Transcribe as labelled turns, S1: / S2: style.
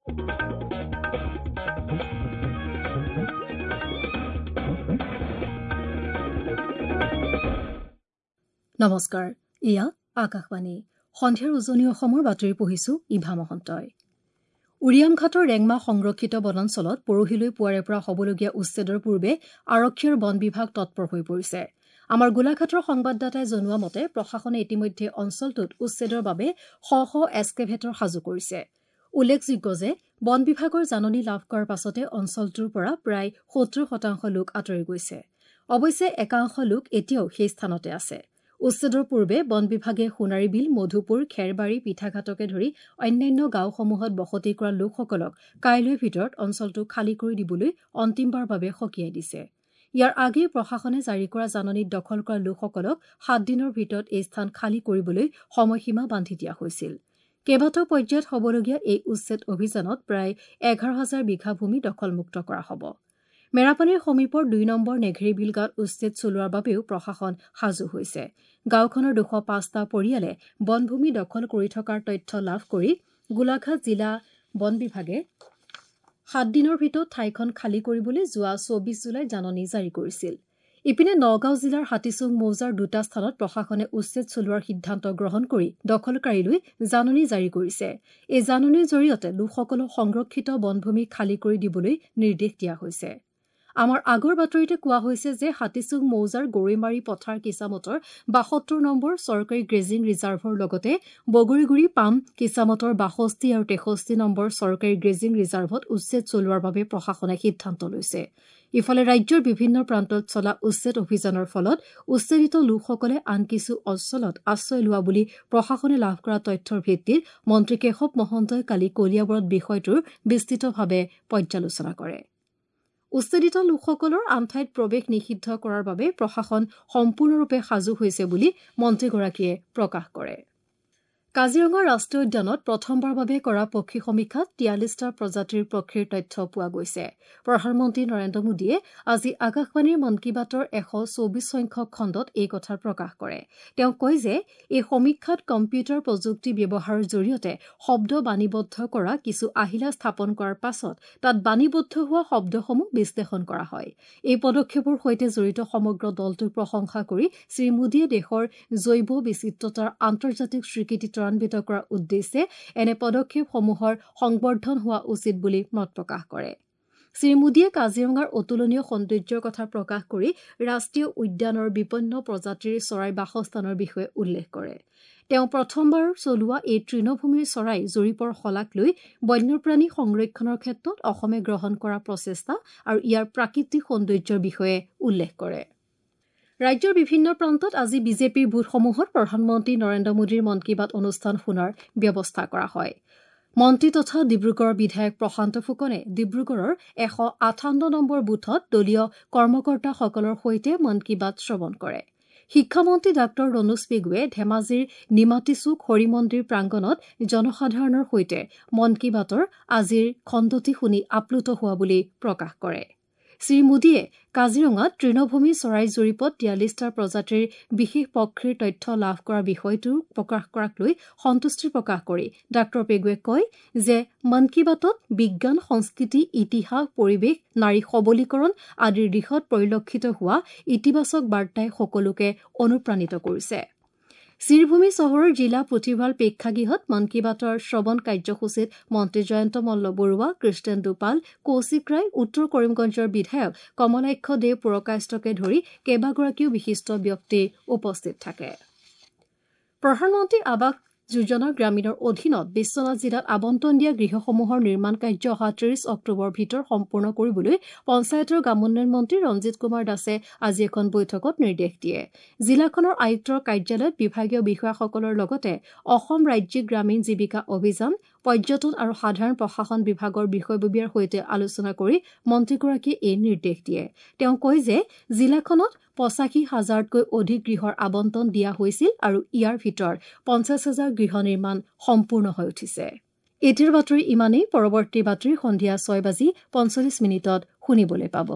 S1: নমস্কাৰ, এয়া আকাশবাণী। সন্ধিয়াৰ উজনি অসমৰ বাতৰি পঢ়িছো ইভা মহন্তই। উৰিয়ামঘাটৰ ৰেংমা সংৰক্ষিত বনাঞ্চলত পৰহিলৈ পুৱাৰে পৰা হ'বলগীয়া উচ্ছেদৰ পূৰ্বে আৰক্ষী আৰু বন বিভাগ তৎপৰ হৈ পৰিছে। আমাৰ গোলাঘাটৰ সংবাদদাতাই জনোৱা মতে প্ৰশাসনে ইতিমধ্যে অঞ্চলটোত উচ্ছেদৰ বাবে শ শ এস্কেভেটৰ সাজু কৰিছে। উল্লেখযোগ্য যে বন বিভাগৰ জাননী লাভ কৰাৰ পাছতে অঞ্চলটোৰ পৰা প্ৰায় 70% লোক আঁতৰি গৈছে। অৱশ্যে একাংশ লোক এতিয়াও সেই স্থানতে আছে। উচ্ছেদৰ পূৰ্বে বন বিভাগে সোণাৰীবিল, মধুপুৰ, খেৰবাৰী, পিঠাঘাটকে ধৰি অন্যান্য গাঁওসমূহত বসতি কৰা লোকসকলক কাইলৈৰ ভিতৰত অঞ্চলটো খালী কৰি দিবলৈ অন্তিমবাৰৰ বাবে সকীয়াই দিছে। ইয়াৰ আগেয়ে প্ৰশাসনে জাৰি কৰা জাননীত দখল কৰা লোকসকলক 7 দিনৰ ভিতৰত এই স্থান খালী কৰিবলৈ সময়সীমা বান্ধি দিয়া হৈছিল। কেইবাটাও পৰ্যায়ত হ'বলগীয়া এই উচ্ছেদ অভিযানত প্ৰায় 11,000 বিঘা ভূমি দখলমুক্ত কৰা হ'ব। মেৰাপানীৰ সমীপৰ 2 নম্বৰ নেঘেৰিবিল গাঁৱত উচ্ছেদ চলোৱাৰ বাবেও প্ৰশাসন সাজু হৈছে। গাঁওখনৰ 205টা পৰিয়ালে বনভূমি দখল কৰি থকাৰ তথ্য লাভ কৰি গোলাঘাট জিলা বন বিভাগে 7 দিনৰ ভিতৰত ঠাইখন খালী কৰিবলৈ যোৱা 24 জুলাইত জাননী জাৰি কৰিছিল। ইপিনে নগাঁও জিলাৰ হাতীচুং মৌজাৰ দুটা স্থানত প্ৰশাসনে উচ্ছেদ চলোৱাৰ সিদ্ধান্ত গ্ৰহণ কৰি দখলকাৰীলৈ জাননী জাৰি কৰিছে। এই জাননীৰ জৰিয়তে লোকসকলক সংৰক্ষিত বনভূমি খালী কৰি দিবলৈ নিৰ্দেশ দিয়া হৈছে। আমাৰ আগৰ বাতৰিতে কোৱা হৈছে যে হাতীচুং মৌজাৰ গৰৈমাৰী পথাৰ কিচামতৰ 72 নম্বৰ চৰকাৰী গ্ৰেজিং ৰিজাৰ্ভৰ লগতে বগৰীগুৰি পাম কিচামতৰ 62 আৰু 63 নম্বৰ চৰকাৰী গ্ৰেজিং ৰিজাৰ্ভত উচ্ছেদ চলোৱাৰ বাবে প্ৰশাসনে সিদ্ধান্ত লৈছে। ইফালে ৰাজ্যৰ বিভিন্ন প্ৰান্তত চলা উচ্ছেদ অভিযানৰ ফলত উচ্ছেদিত লোকসকলে আন কিছু অঞ্চলত আশ্ৰয় লোৱা বুলি প্ৰশাসনে লাভ কৰা তথ্যৰ ভিত্তিত মন্ত্ৰী কেশৱ মহন্তই কালি কলিয়াবৰত বিষয়টোৰ বিস্তৃতভাৱে পৰ্যালোচনা কৰে। উচ্ছেদিত লোকসকলৰ আন ঠাইত প্ৰৱেশ নিষিদ্ধ কৰাৰ বাবে প্ৰশাসন সম্পূৰ্ণৰূপে সাজু হৈছে বুলি মন্ত্ৰীগৰাকীয়ে প্ৰকাশ কৰে। কাজিৰঙা ৰাষ্ট্ৰীয় উদ্যানত প্ৰথমবাৰৰ বাবে কৰা পক্ষী সমীক্ষাত 43টা প্ৰজাতিৰ পক্ষীৰ তথ্য পোৱা গৈছে। প্ৰধানমন্ত্ৰী নৰেন্দ্ৰ মোদীয়ে আজি আকাশবাণীৰ মন কী বাতৰ 124 সংখ্যক খণ্ডত এই কথা প্ৰকাশ কৰে। তেওঁ কয় যে এই সমীক্ষাত কম্পিউটাৰ প্ৰযুক্তি ব্যৱহাৰৰ জৰিয়তে শব্দ বাণীবদ্ধ কৰা কিছু আহিলা স্থাপন কৰাৰ পাছত তাত বাণীবদ্ধ হোৱা শব্দসমূহ বিশ্লেষণ কৰা হয়। এই পদক্ষেপৰ সৈতে জড়িত সমগ্ৰ দলটোক প্ৰশংসা কৰি শ্ৰীমোদীয়ে দেশৰ জৈৱ বিচিত্ৰতাৰ আন্তৰ্জাতিক স্বীকৃতি ত্বৰান্বিত কৰাৰ উদ্দেশ্যে এনে পদক্ষেপসমূহৰ সংবৰ্ধন হোৱা উচিত বুলি মত প্ৰকাশ কৰে। শ্ৰীমোদীয়ে কাজিৰঙাৰ অতুলনীয় সৌন্দৰ্যৰ কথা প্ৰকাশ কৰি ৰাষ্ট্ৰীয় উদ্যানৰ বিপন্ন প্ৰজাতিৰ চৰাই বাসস্থানৰ বিষয়ে উল্লেখ কৰে। তেওঁ প্ৰথমবাৰ চলোৱা এই তৃণভূমিৰ চৰাই জৰীপৰ শলাগ লৈ বন্যপ্ৰাণী সংৰক্ষণৰ ক্ষেত্ৰত অসমে গ্ৰহণ কৰা প্ৰচেষ্টা আৰু ইয়াৰ প্ৰাকৃতিক সৌন্দৰ্যৰ বিষয়ে উল্লেখ কৰে। ৰাজ্যৰ বিভিন্ন প্ৰান্তত আজি বিজেপিৰ বুথসমূহত প্ৰধানমন্ত্ৰী নৰেন্দ্ৰ মোদীৰ মন কী বাত অনুষ্ঠান শুনাৰ ব্যৱস্থা কৰা হয়। মন্ত্ৰী তথা ডিব্ৰুগড়ৰ বিধায়ক প্ৰশান্ত ফুকনে ডিব্ৰুগড়ৰ 158 নম্বৰ বুথত দলীয় কৰ্মকৰ্তাসকলৰ সৈতে মন কী বাত শ্ৰৱণ কৰে। শিক্ষামন্ত্ৰী ডাঃ ৰণোজ পেগুৱে ধেমাজিৰ নিমাতীচুক হৰিমন্দিৰ প্ৰাংগণত জনসাধাৰণৰ সৈতে মন কী বাতৰ আজিৰ খণ্ডটি শুনি আপ্লুত হোৱা বুলি প্ৰকাশ কৰে। শ্ৰীমোদীয়ে কাজিৰঙাত তৃণভূমি চৰাই জৰীপত 43টা প্ৰজাতিৰ বিশেষ পক্ষীৰ তথ্য লাভ কৰা বিষয়টো প্ৰকাশ কৰাক লৈ সন্তুষ্টি প্ৰকাশ কৰি ডাঃ পেগুৱে কয় যে মন কী বাতত বিজ্ঞান, সংস্কৃতি, ইতিহাস, পৰিৱেশ, নাৰী সবলীকৰণ আদিৰ দিশত পৰিলক্ষিত হোৱা ইতিবাচক বাৰ্তাই সকলোকে অনুপ্ৰাণিত কৰিছে। শ্ৰীভূমি চহৰৰ জিলা পুথিভঁৰাল প্ৰেক্ষাগৃহত মন কী বাতৰ শ্ৰৱণ কাৰ্যসূচীত মন্ত্ৰী জয়ন্ত মল্ল বৰুৱা, কৃষ্ণেন্দু পাল, কৌশিক ৰায়, উত্তৰ কৰিমগঞ্জৰ বিধায়ক কমলাক্ষ দে পুৰকায়স্থকে ধৰি কেইবাগৰাকীও বিশিষ্ট ব্যক্তি উপস্থিত থাকে। প্ৰধানমন্ত্ৰী আৱাস যোজনা গ্ৰামীণৰ অধীনত বিশ্বনাথ জিলাত আবণ্টন দিয়া গৃহসমূহৰ নিৰ্মাণ কাৰ্য অহা 30 অক্টোবৰৰ ভিতৰত সম্পূৰ্ণ কৰিবলৈ পঞ্চায়তৰ গ্ৰামোন্নয়ন মন্ত্ৰী ৰঞ্জিত কুমাৰ দাসে আজি এখন বৈঠকত নিৰ্দেশ দিয়ে। জিলাখনৰ আয়ুক্তৰ কাৰ্যালয়ত বিভাগীয় বিষয়াসকলৰ লগতে অসম ৰাজ্যিক গ্ৰামীণ জীৱিকা অভিযান, পৰ্যটন আৰু সাধাৰণ প্ৰশাসন বিভাগৰ বিষয়ববীয়াৰ সৈতে আলোচনা কৰি মন্ত্ৰীগৰাকীয়ে এই নিৰ্দেশ দিয়ে। তেওঁ কয় যে জিলাখনত 85,000তকৈ অধিক গৃহৰ আবণ্টন দিয়া হৈছিল আৰু ইয়াৰ ভিতৰত 50,000 গৃহ নিৰ্মাণ সম্পূৰ্ণ হৈ উঠিছে। এতিয়াৰ বাতৰি ইমানেই। পৰৱৰ্তী বাতৰি সন্ধিয়া 6:45 শুনিবলৈ পাব।